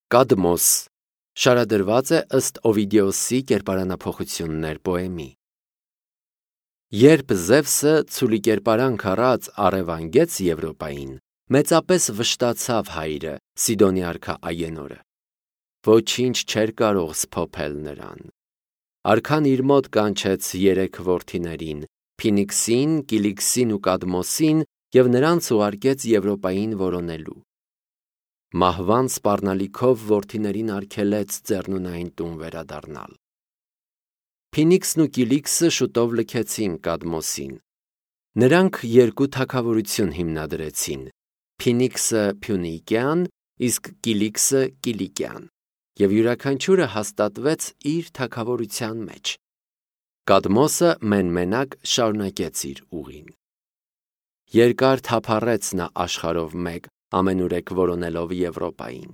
Կադմոս շարադրված է ըստ Օվիդիոսի կերպարանափոխություններ պոեմի։ Երբ Զևսը ցուլի կերպարանք առած առևանգեց Եվրոպային, մեծապես վշտացավ հայրը, Սիդոնի արքա Ագենորը։ Ոչինչ չէր կարող սփոփել նրան։ Արքան իր մոտ կանչեց 3 որդիներին՝ Փինիքսին, Կիլիքսին ու Կադմոսին, և նրանց ուղարկեց Եվրոպային որոնելու։ Մահվան սպառնալիքով որդիներին արգելեց Ձեռնունային տուն վերադառնալ։ Փինիքսն ու Կիլիքսը շուտով լքեցին Կադմոսին։ Նրանք 2 թագավորություն հիմնադրեցին՝ Փինիքսը Փյունիկյան, իսկ Կիլիքսը Կիլիկյան, և յուրաքանչյուրը հաստատվեց իր թագավորության մեջ։ Կադմոսը մեն-մենակ շարունակեց իր ուղին։ Երկար թափառեց նա աշխարհով մեկ, ամենուրեք որոնելով Եվրոպային։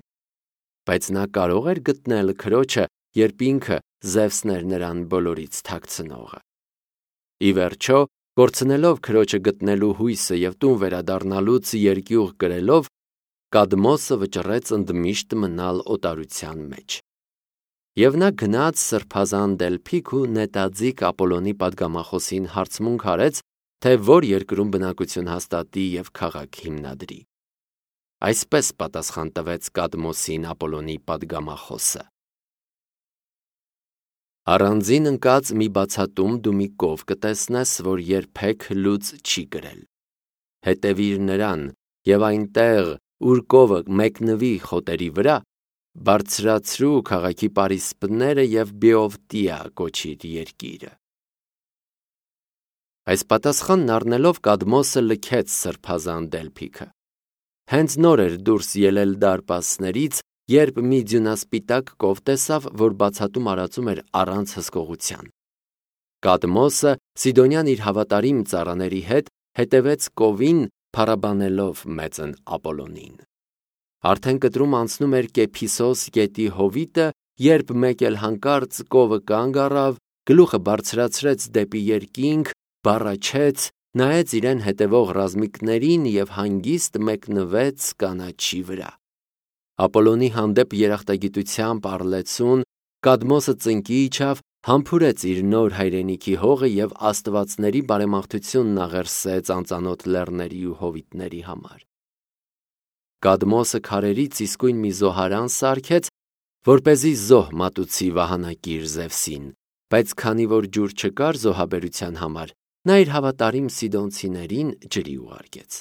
Բայց նա կարող էր գտնել քրոջը, երբ ինքը Զևսն էր նրան բոլորից թաքցնողը։ Ի վերջո, կորցնելով քրոջը գտնելու հույսը և տուն վերադառնալուց երկյուղ կրելով, Կադմոսը վճռեց ընդմիշտ մնալ օտարության մեջ։ Եվ նա գնաց սրբազան Դելփիկ ու նետաձիգ Ապոլոնի պատգամախոսին հարցմունք արեց, թե որ երկրում բնակություն հաստատի և քաղաք հիմնադրի։ Այսպես պատասխան տվեց Կադմոսին Ապոլոնի պատգամախոսը. Առանձին ընկած մի բացատում դու մի կով կտեսնես, որ երբեք լուծ չի կրել։ Հետևիր նրան, և այնտեղ, ուր կովը մեկնվի խոտերի վրա, բարձրացրու քաղաքի պարիսպները և Բեովտիա կոչիր երկիրը։ Այս պատասխանն առնելով Կադմոսը լքեց սրբազան Դելփիքը։ Հենց նոր էր դուրս ելել դարպասներից, երբ մի ձյունասպիտակ կով տեսավ, որ բացատում արածում էր առանց հսկողության։ Կադմոսը, Սիդոնյան իր հավատարիմ ծառաների հետ, հետևեց կովին, փառաբանելով մեծն Ապոլոնին։ Արդեն կտրում անցնում էր Կեփիսոս գետի հովիտը, երբ մեկ էլ հանկարծ կովը կանգ առավ, գլուխը բարձրացրեց դեպի երկինք, բառաչեց, նայեց իրեն հետևող ռազմիկներին և հանգիստ մեկնվեց կանաչի վրա։ Ապոլոնի հանդեպ երախտագիտությամբ առլեցուն, Կադմոսը ծնկի իջավ, համբուրեց իր նոր հայրենիքի հողը և աստվածների բարեմաղթությունն աղերսեց անծանոթ լեռների ու հովիտների համար։ Կադմոսը քարերից իսկույն մի զոհարան սարքեց, որպեսզի զոհ մատուցի վահանակիր Զևսին, բայց քանի որ ջուր չկար զոհաբերության համար, նա իր հավատարիմ սիդոնցիներին ջրի ուղարկեց։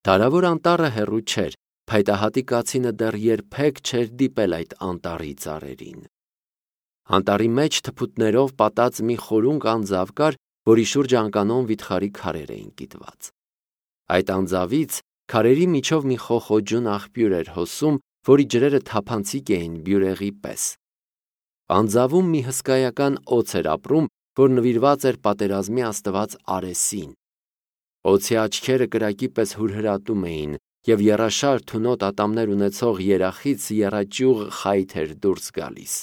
Դարավոր անտառը հեռու չէր, փայտահատի կացինը դեռ երբեք չէր դիպել այդ անտառի ծառերին։ Անտառի մեջ թփուտներով պատած մի խորունկ անձավ կար, որի շուրջը անկանոն վիթխարի քարեր էին կիտված։ Այդ անձավից քարերի միջով մի խոխոջուն աղբյուր էր հոսում, որի ջրերը թափանցիկ էին բյուրեղի պես։ Անձավում մի հսկայական օձ էր ապրում, որ նվիրված էր պատերազմի աստված Արեսին։ Օձի աչքերը կրակի պես հուրհրատում էին, և եռաշար թունոտ ատամներ ունեցող երախից եռաճյուղ խայթ էր դուրս գալիս։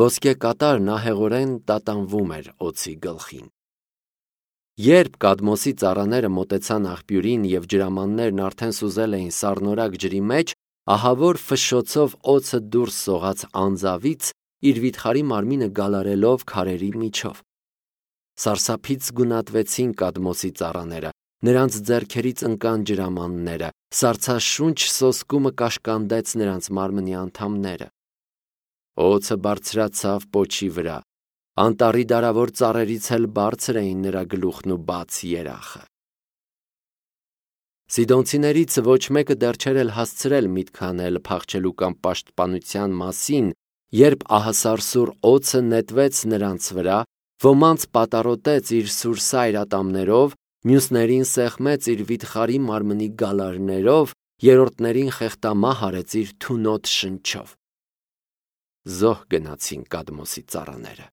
Ոսկե կատարն ահեղորեն տատանվում էր օձի գլխին։ Երբ Կադմոսի ծառաները մոտեցան աղբյուրին և ջրամաններն արդեն սուզել էին սառնորակ ջրի մեջ, ահավոր ֆշշոցով օձը դուրս սողաց անձավից, իր վիթխարի մարմինը գալարելով քարերի միջով։ Սարսափից գունատվեցին Կադմոսի ծառաները, նրանց ձեռքերից ընկան ջրամանները, սառցաշունչ սոսկումը կաշկանդեց նրանց մարմնի անդամները։ Օձը բարձրացավ պոչի վրա, անտառի դարավոր ծառերից էլ բարձր էին նրա գլուխն ու բաց երախը։ Սիդոնցիներից ոչ մեկը դեռ չէր էլ հասցրել միտք անել փախչելու կամ պաշտպանության մասին, երբ ահասարսուռ օձը նետվեց նրանց վրա, ոմանց պատառոտեց իր սուրսայր ատամներով, մյուսներին սեղմեց իր վիթխարի մարմնի գալարներով, երրորդներին խեղդամահ արեց իր թունոտ շնչով։ Զոհ գնացին Կադմոսի ծառաները։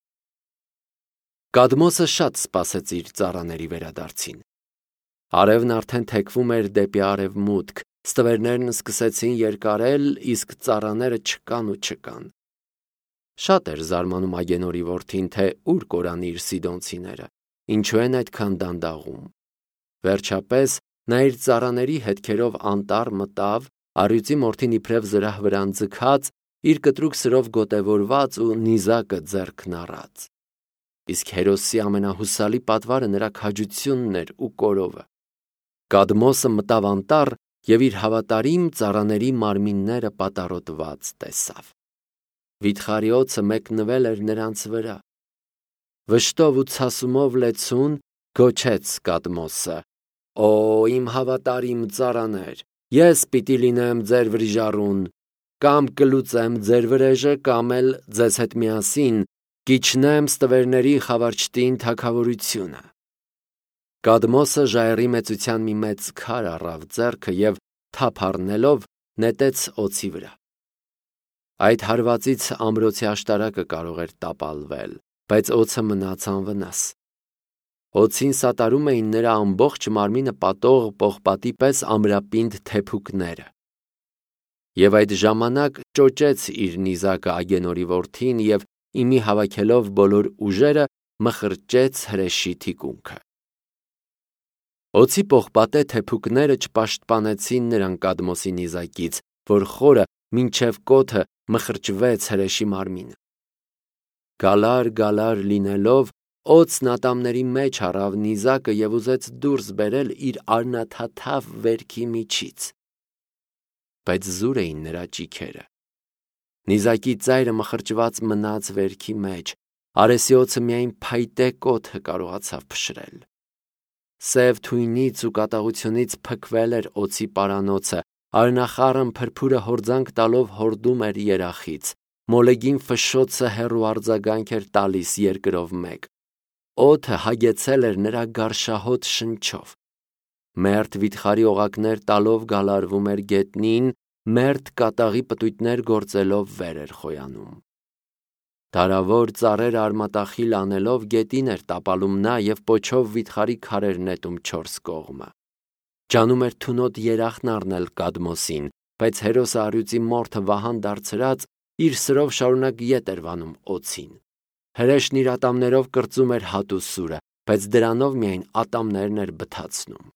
Կադմոսը շատ սպասեց իր ծառաների վերադարձին։ Արևն արդեն թեքվում էր դեպի արևմուտք, ստվերներն սկսեցին երկարել, իսկ ծառաները չկան ու չկան։ Շատ էր զարմանում Ագենորի որդին, թե ուր կորան իր սիդոնցիները, ինչու են այդքան դանդաղում։ Վերջապես նա իր ծառաների հետքերով անտառ մտավ, առյուծի մորթին իբրև զրահ վրան ձգած, իր կտրուկ սրով գոտևորված ու նիզակը ձեռքն առած։ Իսկ Հերոսի ամենահուսալի պատվարը նրա քաջությունն էր ու կորովը։ Կադմոսը մտավ անտառ և իր հավատարիմ ծառաների մարմինները պատառոտված տեսավ։ Վիթխարի մեկնվել էր նրանց վրա։ Վշտով ու ցասումով լեցուն գոչեց Կադմոսը. «Օ, իմ հավատարիմ ծառաներ, ես պիտի լինեմ ձեր վրիժառուն, կամ կլուծեմ ձեր վրեժը, կամ էլ ձեզ հետ միասին կիջնեմ ստվերների խավարչտին թագավորությունը»։ Կադմոսը ժայռի մեծության մի մեծ քար առավ ձեռքը և թափ առնելով նետեց օձի վրա։ Այդ հարվածից ամրոցի աշտարակը կարող էր տապալվել, բայց օձը մնաց անվնաս։ Օձին սատարում էին նրա ամբողջ մարմինը պատող պողպատի պես ամրապինդ թեփուկները։ Եվ այդ ժամանակ ճոճեց իր նիզակը Ագենորի որդին և իմի հավաքելով բոլոր ուժերը մխրճեց հրեշի թիկունքը։ Օձի պողպատե թեփուկները չպաշտպանեցին նրան Կադմոսի նիզակից, որ խորը մինչև կոթը մխրճվեց հրեշի մարմինը։ Գալար լինելով, օձն ատամների մեջ առավ նիզակը և ուզեց դուրս բերել իր արնաթաթավ վերքի միջից։ Բայց զուր էին նրա ճիքերը։ Նիզակի ծայրը մխրճված մնաց վերքի մեջ, արեսի օձը միայն փայտե կոթը կարողացավ փշրել։ Սև թույնից ու կատաղությունից փքվել էր օձի պարանոցը, արնախառն փրփուրը հորձանք տալով հորդում էր երախից, մոլեգին ֆշշոցը հեռու արձագանք էր տալիս երկրով մեկ։ Օդը հագեցել էր նրա գարշահոտ շնչով։ Մերթ վիթխարի օղակներ տալով գալարվում էր գետնին, մերթ կատաղի պտույտներ գործելով վեր էր խոյանում։ Դարավոր ծառեր արմատախիլ անելով գետին էր տապալում նա և պոչով վիթխարի քարեր նետում չորս կողմը։ Ջանում էր թունոտ երախն առնել Կադմոսին, բայց հերոսը առյուծի մորթը վահան դարձրած իր սրով շարունակ ետ էր վանում օձին։ Հրեշն իր ատամներով կրծում էր հատուսուրը, բայց դրանով միայն ատամներն էր բթացնում։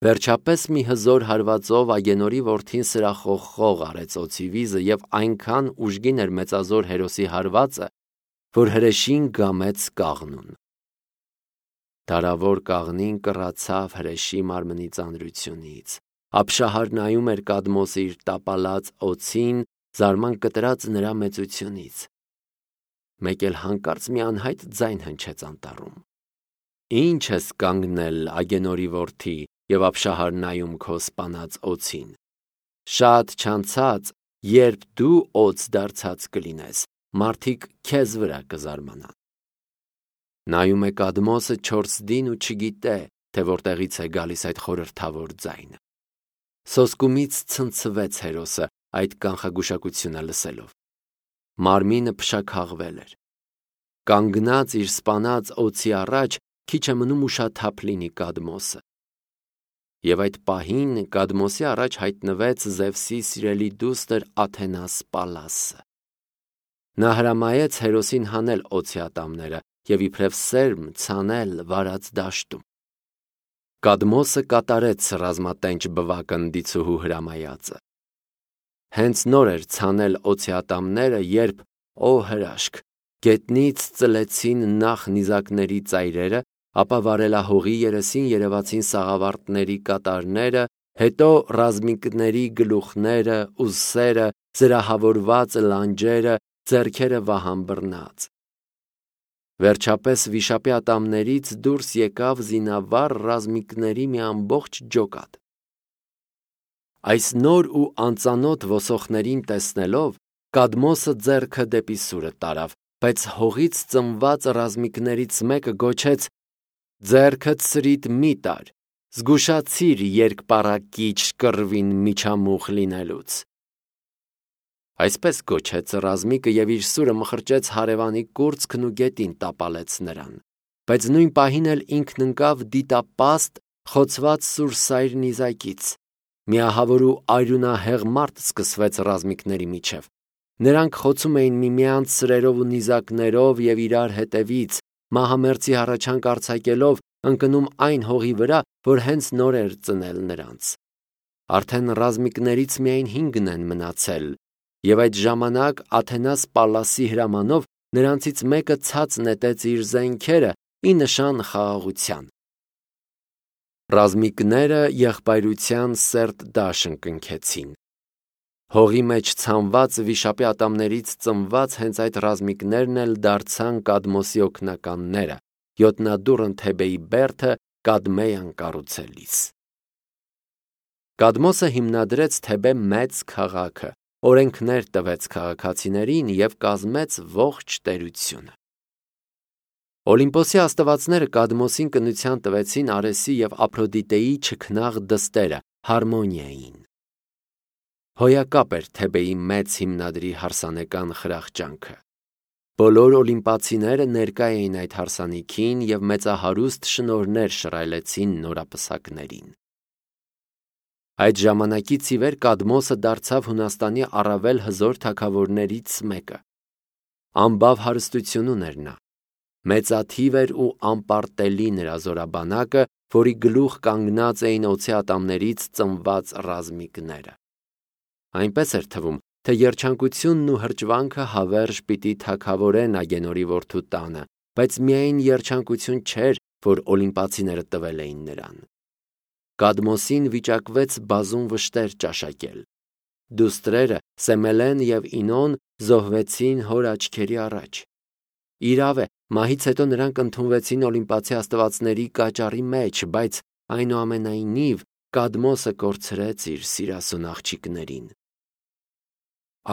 Վերջապես մի հզոր հարվածով Ագենորի որդին սրախողխող արեց օձի վիզը և այնքան ուժգին էր մեծազոր հերոսի հարվածը, որ հրեշին գամեց կաղնուն։ Դարավոր կաղնին կռացավ հրեշի մարմնի ծանրությունից։ Ափշահար նայում էր Կադմոսը իր տապալած օձին, զարման կտրած նրա մեծությունից։ Մեկ էլ հանկարծ մի անհայտ ձայն հնչեց անտառում։ «Ի՞նչ ես կանգնել, Ագենորի որդի, և ափշահար նայում քո սպանած օձին։ Շատ չանցած, երբ դու օձ դարձած կլինես, մարդիկ քեզ վրա կզարմանան»։ Նայում է Կադմոսը չորսդին ու չգիտե, թե որտեղից է գալիս այդ խորհրդավոր ձայնը։ Սոսկումից ցնցվեց հերոսը այդ կանխագուշակությունը լսելով։ Մարմինը փշաքաղվել էր։ Կանգնած իր սպանած օձի առաջ քիչ է մնում ուշաթափ լինի Կադմոսը։ Եվ այդ պահին Կադմոսի առաջ հայտնվեց Զևսի սիրելի դուստր Աթենաս Պալասը։ Նա հրամայեց հերոսին հանել օձի ատամները և իբրև սերմ ցանել վարած դաշտում։ Կադմոսը կատարեց ռազմատենչ բվակնդիցուհու հրամայածը։ Հենց նոր էր ցանել օձի ատամները, երբ, օ հրաշք, գետնից ծլեցին նախ նիզակների ծայրերը, ապա վարելահողի երեսին երևացին սաղավարտների կատարները, հետո ռազմիկների գլուխները, ուսերը, զրահավորված լանջերը, ձեռքերը վահան բռնած։ Վերջապես վիշապի ատամներից դուրս եկավ զինավառ ռազմիկների մի ամբողջ ջոկատ։ Այս նոր ու անծանոթ ոսոխներին տեսնելով Կադմոսը ձեռքը դեպի սուրը տարավ, բայց հողից ծնված ռազմիկներից մեկը գոչեց. «Ձեռքդ սրիդ մի տար, զգուշացիր երկպառակիչ կռվին միջամուխ լինելուց»։ Այսպես գոչեց ռազմիկը և իր սուրը մխրճեց հարևանի կուրծքն ու գետին տապալեց նրան, բայց նույն պահին էլ ինքն ընկավ դիտապաստ խոցված սուրսայր նիզակից։ Միահավոր ու արյունահեղ մարտ սկսվեց ռազմիկների միջև։ Նրանք խոցում էին միմյանց սրերով ու նիզակներով և իրար հետևից, մահամերձի հառաչանք արձակելով ընկնում այն հողի վրա, որ հենց նոր էր ծնել նրանց։ Արդեն ռազմիկներից միայն 5-ն են մնացել, եւ այդ ժամանակ Աթենաս Պալլասի հրամանով նրանցից մեկը ցած նետեց իր զենքերը ի նշան խաղաղության։ Ռազմիկները եղբայրության սերտ դաշն կնքեցին։ Հողի մեջ ցանված վիշապի ատամներից ծնված հենց այդ ռազմիկներն էլ դարձան Կադմոսի օգնականները, յոտնադուռն Թեբեի բերդը Կադմեյան կառուցելիս։ Կադմոսը հիմնադրեց Թեբե մեծ քաղաքը, օրենքներ տվեց քաղաքացիներին եւ կազմեց ողջ տերությունը։ Օլիմպոսի աստվածները Կադմոսին կնության տվեցին Արեսի եւ Ափրոդիտեի չքնաղ դստերը Հարմոնիային։ Հոյակապ էր Թեբեի մեծ հիմնադրի հարսանեկան խրախճանքը։ Բոլոր օլիմպացիները ներկա էին այդ հարսանիքին եւ մեծահարուստ շնորհներ շռայլեցին նորապսակներին։ Այդ ժամանակից ի վեր Կադմոսը դարձավ Հունաստանի առավել հզոր թագավորներից մեկը։ Ամբավ հարստություն ուներ նա։ Մեծաթիվ էր ու անպարտելի նրա զորաբանակը, որի գլուխ կանգնած էին օձի ատամներից ծնված ռազմիկները։ Այնպես էր թվում, թե երջանկությունն ու հրճվանքը հավերժ պիտի թագավորեն Ագենորի որդու տանը, բայց միայն երջանկություն չէր, որ օլիմպացիները տվել էին նրան։ Կադմոսին վիճակվեց բազում վշտեր ճաշակել։ Դուստրերը Սեմելեն եւ Ինոն զոհվեցին հոր աչքերի առաջ։ Իրավ է, մահից հետո նրանք ընդունվեցին օլիմպացի աստվածների կաճառի մեջ, բայց այնուամենայնիվ Կադմոսը կորցրեց իր սիրասուն աղջիկներին։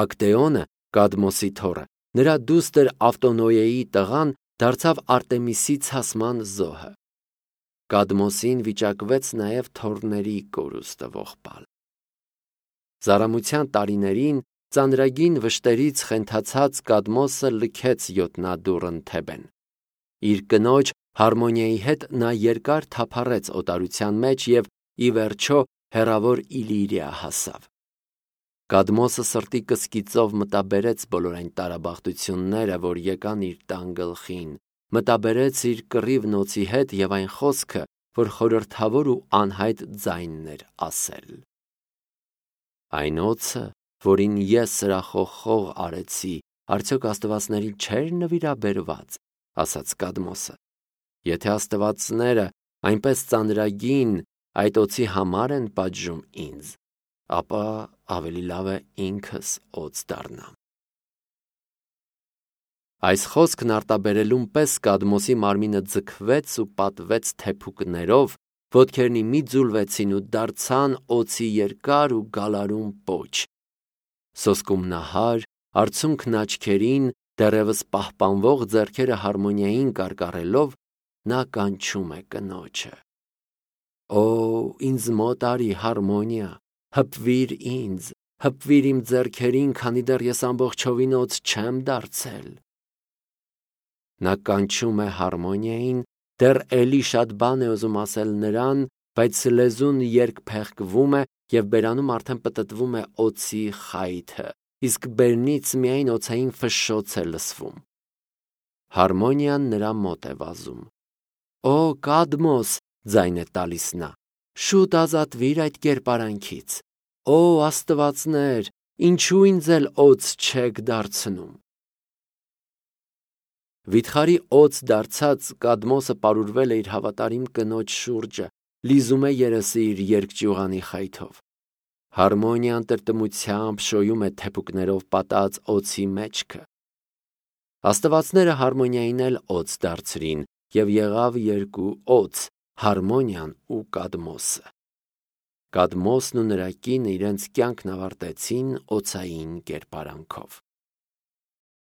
Ակտեոնը, Կադմոսի թոռը, նրա դուստր Ավտոնոյեի տղան դարձավ Արտեմիսի ցասման զոհը։ Կադմոսին վիճակվեց նաև թոռների կորուստը ողբալ։ Զարամության տարիներին ծանրագին վշտերից խենթացած Կադմոսը լքեց յոտնադուռն Թեբեն։ Իր կնոջ Հարմոնիայի հետ նա երկար թափառեց օտարության մեջ եւ ի վերջո հեռավոր Իլիրիա հասավ։ Կադմոսը սրտի կսկիծով մտաբերեց բոլոր այն տարաբախտությունները, որ եկան իր տան գլխին, մտաբերեց իր կռիվ նոցի հետ եւ այն խոսքը, որ խորհրդավոր ու անհայտ ձայնն էր ասել։ Այն օձը, որին ես սրախոխող արեցի, արդյոք աստվածներին չէր նվիրաբերված, ասաց Կադմոսը։ Եթե աստվածները այնպես ծանրագին այդ օձի համար են պատժում ինձ, ապա ավելի լավ է ինքս օձ դառնամ։ Այս խոսքն արտաբերելուն պես Կադմոսի մարմինը ձգվեց ու պատվեց թեփուկներով, ոտքերնի մի ձուլվեցին ու դարձան օձի երկար ու գալարուն պոչ։ Սոսկումնահար, արցունքն աչքերին, դեռևս պահպանվող ձեռքերը Հարմոնիային կարկառելով, նա կանչում է կնոջը. Օ, ինձ մոտ արի, Հարմոնիա, հպվիր ինձ, հպվիր իմ ձեռքերին, քանի դեռ ես ամբողջովին օձ չեմ դարձել։ Նա կանչում է Հարմոնիային, դեռ էլի շատ բան է ուզում ասել նրան, բայց լեզուն երկփեղկվում է եւ բերանում արդեն պտտվում է օձի խայթը, իսկ բերնից միայն օձային ֆշշոց է լսվում։ Հարմոնիան նրա մոտ է վազում։ Օ, Կադմոս, ձայն է տալիս նա, շուտ ազատվիր այդ կերպարանքից։ Օ, աստվածներ, ինչու ինձ էլ օձ չեք դարձնում։ Վիթխարի օձ դարձած Կադմոսը պարուրվել է իր հավատարիմ կնոջ շուրջը, լիզում է երեսը իր երկճյուղանի խայթով։ Հարմոնիան տրտմությամբ շոյում է թեփուկներով պատած օձի մեջքը։ Աստվածները Հարմոնիային էլ օձ դարձրին, եւ եղավ երկու օձ, Հարմոնիան ու Կադմոսը։ Կադմոսն ու նրա կինը իրենց կյանքն ավարտեցին օձային կերպարանքով։